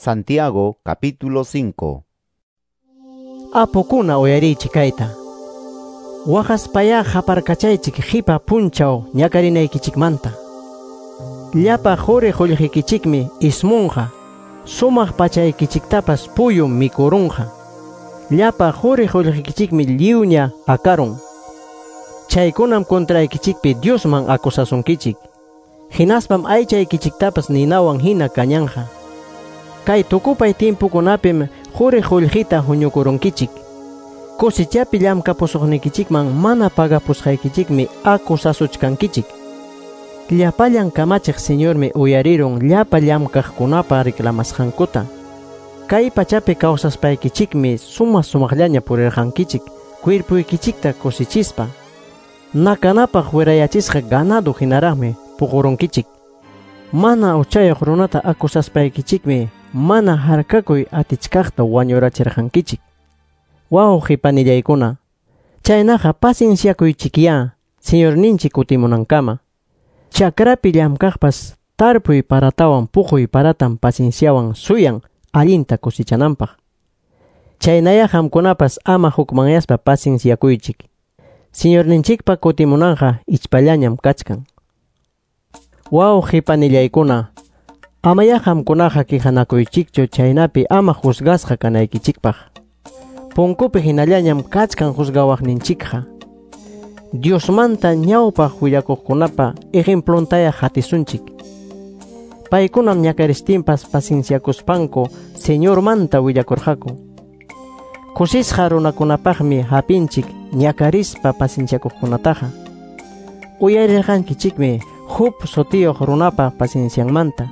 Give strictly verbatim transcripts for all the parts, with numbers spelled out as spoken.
Santiago capítulo cinco. Apukuna uyarichik kayta. Waqaspayá qaparkachaychik qipa punchaw ñakarinaykichikmanta. Llapa quri qullqikichikmi ismunqa, sumaq pachaykichiktapas puyum mikurunqa. Llapa quri qullqikichikmi lliwña akarun. Chaykunam contraykichikpi Diosman acusasunkichik. Hinaspam aychaykichiktapas ninawan hina kañanja. Kay tukupay timpukunapim quri qullqita huñukurunkichik. Cosechapi llamkapusuqnikichikman mana pagapusqaykichikmi acusasuchkankichik. Llapallan kamachiq Señormi uyarirun llapa llamkaqkunapa reclamasqankuta. Kay pachapi kawsaspaykichikmi suma sumaqllaña purirqankichik, cuerpuykichikta kusichispa. Nakanapaq wirayachisqa ganado hinaraqmi puqurunkichik. Mana uchayuq runata acusaspaykichikmi mana harkakuy atichkaqta wañurachirqankichik. Wawqi panillaykuna, chaynaqa pacienciakuychikyá Señorninchik kutimunankama. Chakrapi llamkaqpas tarpuy paratawan puquy paratam pacienciawan suyan allinta kusichananpaq. Chaynaya qamkunapas ama hukmanyaspa pacienciakuychik. Señorninchikpa kutimunanqa ichpallañam kachkan. Wawqi panillaykuna, amaya qamkunaqa quejanakuychikchu chaynapi ama juzgasqa kanaykichikpaq. Punkupi hinallañam kachkan juzgawaqninchikqa. Diosmanta ñawpaq willakuqkunapa ejemplontaya hatisunchik. Paykunam ñakaristinpas pacienciakuspanku Señormanta willakurqaku. Kusisqa runakunapaqmi hapinchik ñakarispa pacienciakuqkunataqa. Uyarirqankichikmi Job sutiyuq runapa paciencianmanta.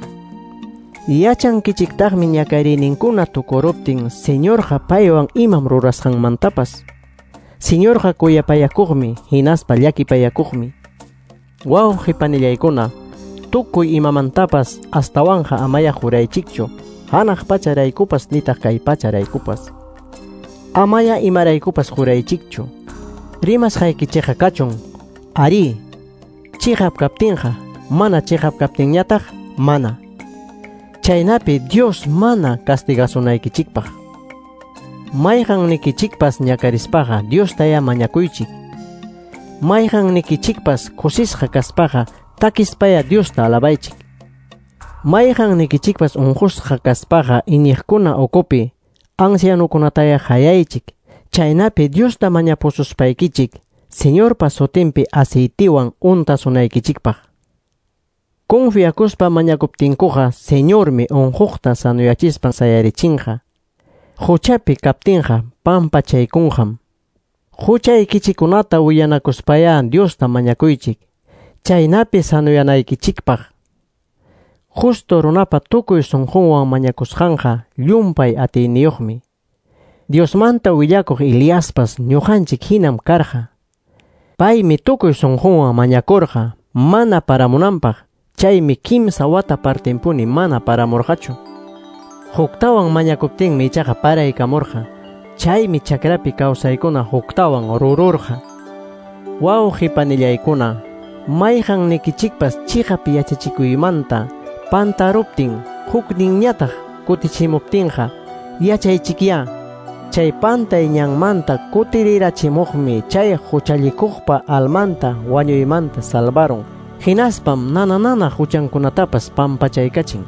Yachankichiktaqmi ñakariyninkuna tukuruptin Señorqa paywan imam rurasqanmantapas. Señorqa kuyapayakuqmi hinaspa llakipayakuqmi. Wawqi panillaykuna, tukuy imamantapas astawanqa amaya juraychikchu, hanaq pacharaykupas nitaq kay pacharaykupas. Amaya imaraykupas juraychikchu. Rimasqaykichikqa kachun, arí, chiqap kaptinqa, mana chiqap kaptinñataq, mana. Chaynapi Dios mana castigasunaykichikpaq. Mayqannikichikpas ñakarispaqa Diostaya mañakuychik. Mayqannikichikpas kusisqa kaspaqa takispaya Diosta alabaychik. Mayqannikichikpas unqusqa kaspaqa iñiqkuna ukupi ancianukunataya hayaychik. Chaynapi Diosta mañapususpaykichik Señorpa sutinpi aceitiwan untasunaykichikpaq. Confiakuspa mañakuptinkuqa Señormi unquqta sanuyachispan sayarichinqa. Huchapi kaptinqa pampachaykunqam. Huchaykichikunata willanakuspaya Diosta mañakuychik, chaynapi sanuyanaykichikpaq. Justo runapa tukuy sunqunwan mañakusqanqa llumpay atiyniyuqmi. Diosmanta willakuq Eliaspas ñuqanchik hinam karqa. Paymi tukuy sunqunwan mañakurqa mana paramunanpaq, chaymi kimsa wata partinpuni mana paramurqachu. Huktawan mañakuptinmi ichaqa paraykamurqa, chaymi chakrapi kawsaykuna huktawan rururqa. Wawqi panillaykuna, mayqannikichikpas chiqap yachachikuymanta pantaruptin hukninñataq kutichimuptinqa yachaychikyá, chay pantay ñanmanta kutirirachimuqmi chay huchallikuqpa almanta wañuymanta salvarun, hinaspam nana nana huchankunatapas pampachaykachin.